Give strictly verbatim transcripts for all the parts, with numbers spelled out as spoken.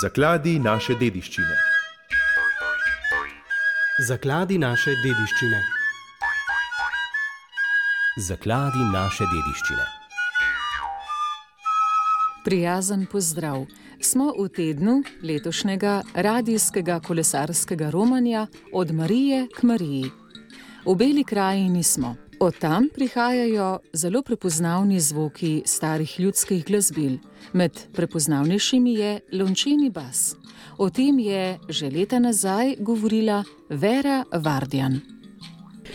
Zakladi naše dediščine. Zakladi naše dediščine. Zakladi naše dediščine. Prijazen pozdrav. Smo v tednu letošnjega radijskega kolesarskega romanja Od Marije k Mariji. V Beli krajini smo. Od tam prihajajo zelo prepoznavni zvoki starih ljudskih glasbil. Med prepoznavnejšimi je lončeni bas. O tem je že leta nazaj govorila Vera Vardjan.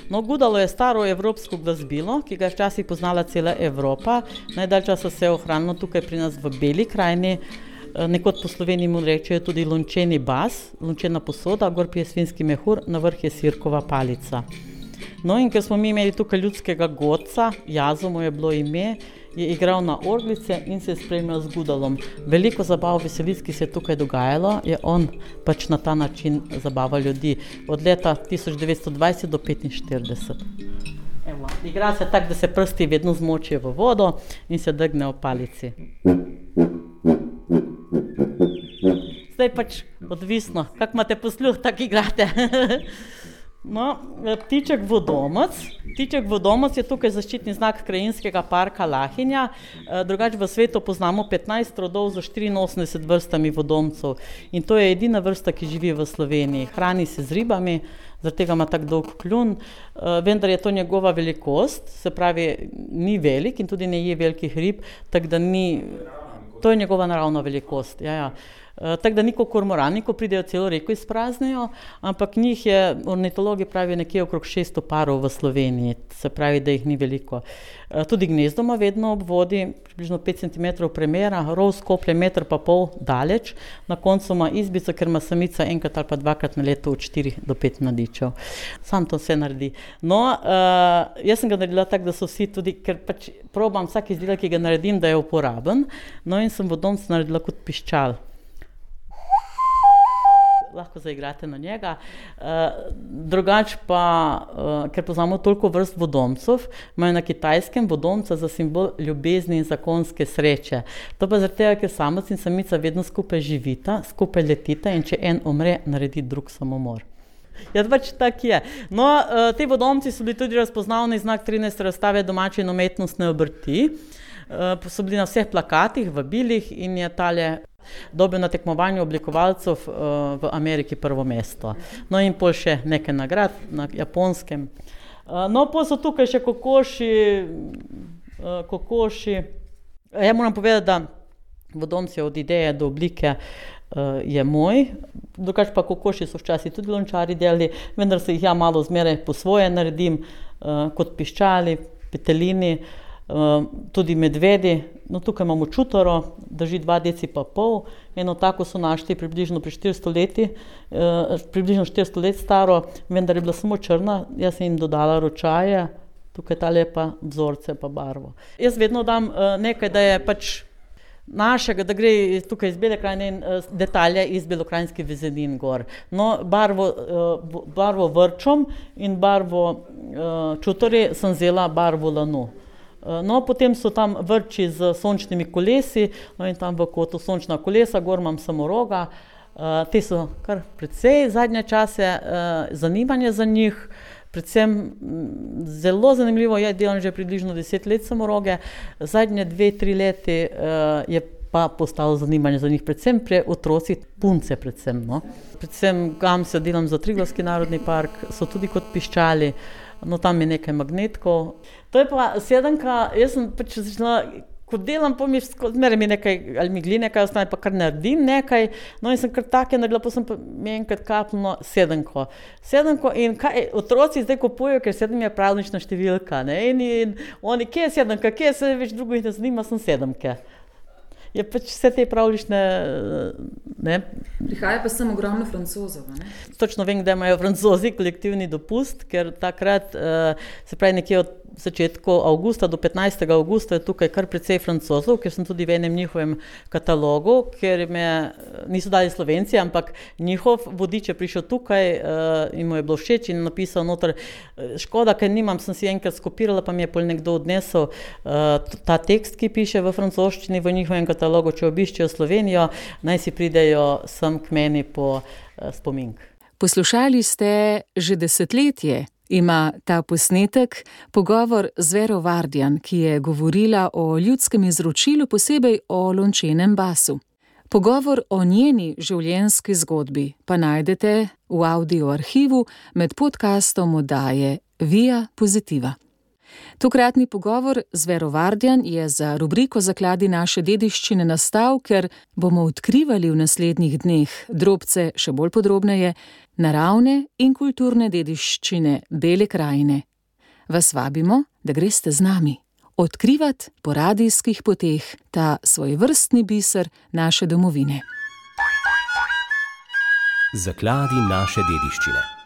No, gudalo je staro evropsko glasbilo, ki ga je včasih poznala cela Evropa. Najdalj časa se je ohranilo tukaj pri nas v Beli krajini. Nekod po Sloveniji mu rečejo tudi lončeni bas, lončena posoda, gor je svinjski mehur, na vrh je sirkova palica. No, in ker smo mi imeli tukaj ljudskega godca, Jazo mu je bilo ime, je igral na orglice in se je spremljal z gudalom. Veliko zabav, veselic, ki se je tukaj dogajalo, je on pač na ta način zabaval ljudi. Od leta tisoč devetsto dvajset do petinštirideset. Evo, igra se tako, da se prsti vedno zmočijo v vodo in se drgne v palici. Zdaj pač odvisno, kak imate posluh, tak igrate. No, ptiček vodomec. Ptiček vodomec je tukaj zaščitni znak krajinskega parka Lahinja. Drugače v svetu poznamo petnajst rodov za štiriinosemdeset vrstami vodomcev. In to je edina vrsta, ki živi v Sloveniji. Hrani se z ribami, zaradi tega ima tak dolg kljun. Vendar je to njegova velikost, se pravi, ni velik in tudi ne je velikih rib, tako da ni... To je njegova naravna velikost, ja, ja. Tako da niko kormorani, ko pridejo celo reko izpraznejo, ampak njih je, ornitologi pravijo, nekje okrog šeststo parov v Sloveniji, se pravi, da jih ni veliko. Tudi gnezdo ima vedno ob vodi, približno pet centimetrov premera, rov skoplje meter pa pol daleč, na koncu ima izbico, ker ima samica enkrat ali pa dvakrat na leto od štirih do pet mladičev. Sam to vse naredi. No, uh, jaz sem ga naredila tako, da so vsi tudi, ker pač probam vsak izdelek, ki ga naredim, da je uporaben, no in sem vodomec naredila kot piščal. Lahko zaigrate na njega. Uh, drugač pa, uh, ker poznamo toliko vrst vodomcev, imajo na Kitajskem vodomca za simbol ljubezni in zakonske sreče. To pa zaradi tega, ker samec in samica vedno skupaj živita, skupaj letita in če en umre, naredi drug samomor. Ja, pač tak je. No, uh, te vodomci so bili tudi razpoznavni znak trinajste razstave domače in umetnostne obrti. Uh, so bili na vseh plakatih, vabilih in je tale dobil na tekmovanju oblikovalcev uh, v Ameriki prvo mesto. No in pol še nekaj nagrad na Japonskem. Uh, no, pol so tukaj še kokoši, uh, kokoši. Ja moram povedati, da vodomci od ideje do oblike uh, je moj, drugače pa kokoši so včasih tudi lončari delali, vendar se jih ja malo zmeraj po svoje naredim, uh, kot piščali, petelini, uh, tudi medvedi. No, tukaj imamo čutoro, drži dva deci pa pol, eno tako so našli približno pri štiristo leti, eh, približno štiristo let staro, vendar je bila samo črna, jaz sem jim dodala ročaje, tukaj tale pa vzorce pa barvo. Jaz vedno dam eh, nekaj, da je pač našega, da gre tukaj iz Bele krajine in eh, detalje iz belokranjskih vezenin gor. No, barvo, eh, barvo vrčom in barvo eh, čutore sem vzela barvo lanu. No, potem so tam vrči z sončnimi kolesi, no in tam v kotu sončna kolesa, gor imam samoroga. Uh, te so kar precej zadnje čase, uh, zanimanje za njih, predvsem m, zelo zanimivo je, delam že približno deset let samoroge, zadnje dve, tri leti uh, je pa postalo zanimanje za njih, predvsem pri otrocih, punce predvsem, no. Predvsem gamse delam za Triglavski narodni park, so tudi kot piščali. No, tam je nekaj magnetkov. To je pa sedemka, jaz sem pač začela, ko delam, pa mi zmeraj mi nekaj, ali mi gli nekaj ostane, pa kar naredim nekaj, no in sem kar take naredila, pa sem pa mi enkrat kapnila sedemko. Sedemko in kaj, otroci zdaj kupujejo, ker sedem je pravlična številka, ne, in, in oni, kje je sedemka, kje je se več drugo jih ne zanima, sem sedemke. Je pač vse te pravlične, ne. Prihaja pa sem ogromno Francozov, ne? Točno vem, da imajo Francozi kolektivni dopust, ker takrat, uh, se pravi nekje od začetku avgusta do petnajstega avgusta je tukaj kar precej Francozov, ker sem tudi v enem njihovem katalogu, ker me niso dali Slovenci, ampak njihov vodič je prišel tukaj uh, in mu je bilo všeč in napisal noter, škoda, ker nimam, sem si enkrat skopirala, pa mi je pol nekdo odnesel uh, ta tekst, ki piše v francoščini v njihovem katalogu, če obiščejo Slovenijo, naj si pridejo sem k meni po uh, spomink. Poslušali ste že desetletje, ima ta posnetek pogovor z Vero Vardjan, ki je govorila o ljudskem izročilu, posebej o lončenem basu. Pogovor o njeni življenjski zgodbi pa najdete v audio arhivu med podcastom oddaje Via Positiva. Tokratni pogovor z Vero Vardjan je za rubriko Zakladi naše dediščine nastal, ker bomo odkrivali v naslednjih dneh drobce še bolj podrobneje naravne in kulturne dediščine Bele krajine. Vas vabimo, da greste z nami odkrivati po radijskih poteh ta svojevrstni biser naše domovine. Zakladi naše dediščine.